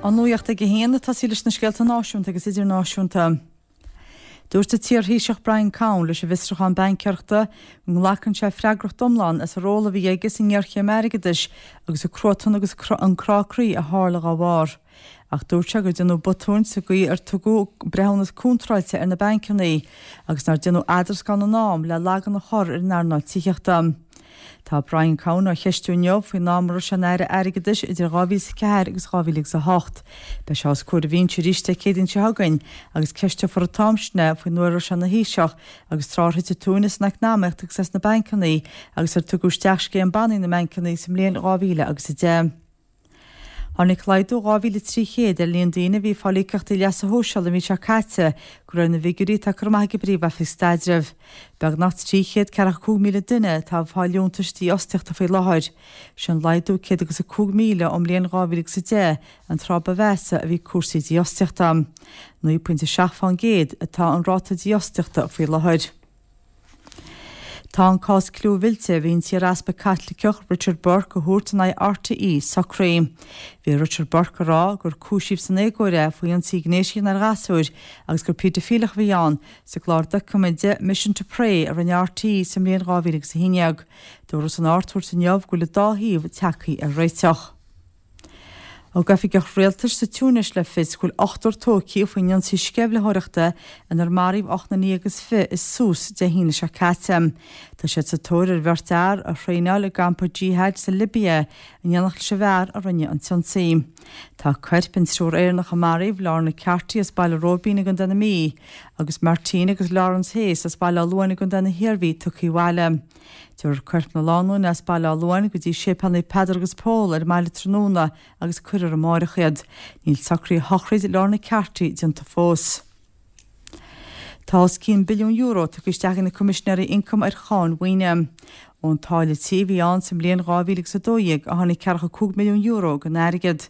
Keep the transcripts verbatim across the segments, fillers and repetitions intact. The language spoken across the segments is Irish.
An nuacht ag a haon ag tosaí leis na scéalta náisiúnta agus idirnáisiúnta. Dúirt an t-iarThaoiseach Brian Cowen leis an bhfiosrúchán baincéireachta go nglacann sé freagracht iomlán as an ról a bhí aige sa ngéarchéim airgeadais agus an cruatan agus an crá croí a tharla dá bharr. Ach dúirt sé gur déanadh botúin sa gcaoi ar tugadh breithiúnas contráilte ar na bancanna agus nár déanadh eadrascán in am le lagan a chur ar an earnáil tithíochta. Tá Brian Cowen á cheistiú inniu faoin am a raibh sé ina aire airgeadais idir dhá mhíle is a ceathair agus dhá mhíle agus a hocht. Beidh sé os comhair an bhinse arís Dé Céadaoin seo chugainn agus ceisteofar an t-am sin é faoin uair a raibh sé ina Thaoiseach agus tráth ar thit an tóin as an eacnamaíocht agus as na bancanna agus ar tugadh isteach scéim bannaí na mbancanna sa mbliain dhá mhíle agus a deich. Tháinig laghdú dhá mhíle trí chéad ar líon daoine a bhí ag fáil íocaíochtaí leasa shóisialaigh an mhí seo caite, de réir na bhfigiúirí atá curtha amach ag an bPríomh-Oifig Staidrimh. Beagnach trí chéad ceathracha cúig míle duine atá ag fáil liúntais dífhostaíochta faoi láthair. Sin laghdú céad agus a cúig míle ón mbliain dhá mhíle agus a deich, an tráth ba mheasa a bhí cúrsaí dífhostaíochta. Naoi pointe seacht fán gcéad atá an ráta dífhostaíochta faoi láthair. Tá an cás clúmhillte a bhí an t-iar-easpag Caitliceach Richard Burke a thabhairt in aghaidh RTÉ socraithe. Bhí Richard Burke ag rá gur cúisíodh san éagóir é faoi ionsaí gnéis a dhéanamh ar ghasúir agus gur péidifileach a bhí ann sa gclár doiciméide Mission to Prey a rinne RTÉ sa mbliain dhá mhíle agus a haon déag. Dúradh san Ard-Chúirt inniu go bhfuil an dá thaobh tagtha ar réiteach. Thug oifigeach rialtais sa Túinéis le fios go bhfuil ochtar tógtha faoin ionsaí sceimhlitheoireachta inar maraíodh ocht nduine déag is fiche i Sousse Dé hAoine seo caite. Tá siad sa tóir ar bheirt fhear a thraenáil i gcampa Jihad sa Libia in éineacht leis an bhfear a rinne an t-ionsaí. Tá coirp an triúr Éireannach a maraíodh, Lorna Carty as Baile Róibín i gContae na Mí, agus Martina agus Lawrence Hayes as Baile Átha Luain i gContae na hIarmhí tugtha abhaile. Tabharfar coirp na lánúine as Baile Átha Luain go dtí Séipéal Naomh Peadar agus Pól ar an mbaile tráthnóna agus cuirfear amárach iad. Níl socruithe shochraid Lorna Carty déanta fós. Tá os cionn billiún euro tugtha isteach ag na Coimisinéirí Ioncaim ar cháin mhaoine. Ón táille tí a bhí ann sa mbliain dhá mhíle agus a dó dhéag a tháinig ceathracha cúig milliún euro den airgead.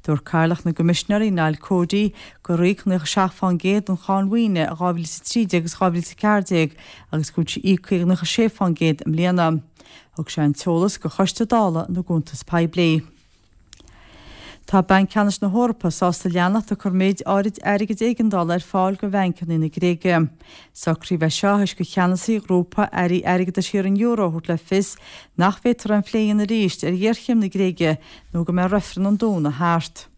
Dúirt Cathaoirleach na gCoimisinéirí, Niall Cody, gur íocadh nócha seacht fán gcéad den cháin mhaoine i dhá mhíle is a trí déag agus dhá mhíle is a ceathair déag agus go bhfuil sí íoctha ag nócha sé fán gcéad i mbliana. Thug sé an t-eolas do Choiste Dála na gCuntas Poiblí. Tá Banc Ceannais na hEorpa sásta leanacht ag cur méid áirid airgid éigeandála ar fáil do bhancanna na Gréige. Socraíodh é seo théis do cheannasaí ghrúpa airí airgeadais thíortha an euro a thabhairt le fios nach bhféadfar aon phlé a dhéanamh arís ar ghéarchéim na Gréige nó go mbeidh reifreann an Domhnaigh thart.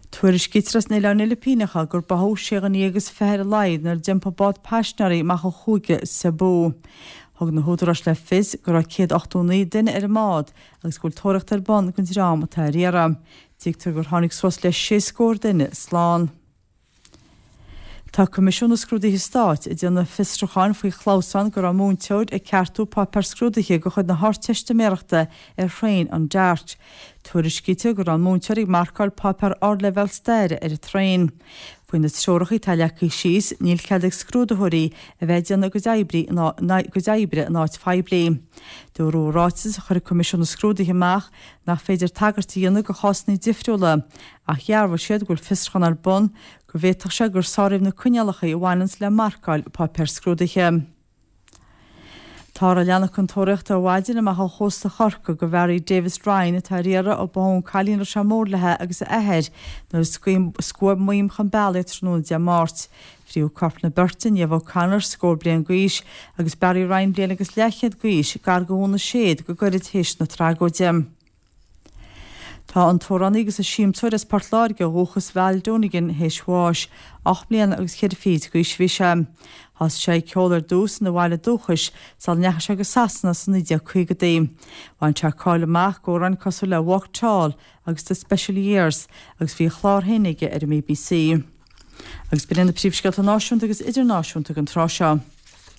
Tuairiscítear as na Oileáin Fhilipíneacha gur báthadh sé dhuine déag is fiche ar a laghad nuair a d'iompaigh bád paisinéirí amach ó chúige Cebu. Thug na húdaráis le fios go raibh céad ochtó naoi duine ar an mbád agus go bhfuil tóraíocht ar bun don dream atá ar iarraidh. Tuigtear gur tháinig suas le sé scór duine slán. Tá Coimisiún na Scrúduithe Stáit ag déanamh fiosrúcháin faoi chlamhsán go raibh múinteoir ag ceartú páipéar scrúdaithe de chuid na hArdteistiméireachta ar thraein an Dart. Tuairiscítear go raibh an múinteoir ag marcáil páipéar ardleibhéal staire ar an traein. Faoi na treoracha atá leagtha síos, níl cead ag scrúdaitheoirí a bheith ag déanamh a gcuid oibre gcuid oibre in áit phoiblí. Dúradh i ráiteas a chuir Coimisiún na Scrúduithe amach nach féidir tagairt a dhéanamh do chásanna difriúla, ach dhearbhaigh siad go bhfuil fiosrúchán ar bun go bhféadfadh sé gur sáraíodh na coinníollacha a bhaineanns le marcáil páipéar scrúdaithe. Táthar ag leanacht chun tóraíochta ar maidin amach ó chósta Chorcaí do Mhary Davis Ryan atá ar iarraidh ó báthadh an cailín a raibh sé mór léi agus a athair nuair a scuab maidhm chun bealaigh tráthnóna Dé Máirt. Fríothadh coirp na beirte, Niamh O'Connor, scór bliain d'aois, agus Barry Ryan, bliain agus leathchéad d'aois, gar do Dhún na Séad go gairid théis na tragóide. Tá an t-amhránaí agus an siamsóir as Port Láirge ó dhúchas Val Donegan théis bháis. Ocht mbliana agus ceithre fichid d'aois a bhí sé. Thosaigh sé ag ceol ar dtús ina bhaile dúchais sula ndeachaigh sé go Sasana sna naoi déag caogaidí. Bhain sé cáil amach d'amhráin cosúil le Walk Tall agus The Special Years agus bhí a chlár féin aige ar an mBBC. Agus b'in iad na príomhscéalta náisiúnta agus idirnáisiúnta don tráth seo.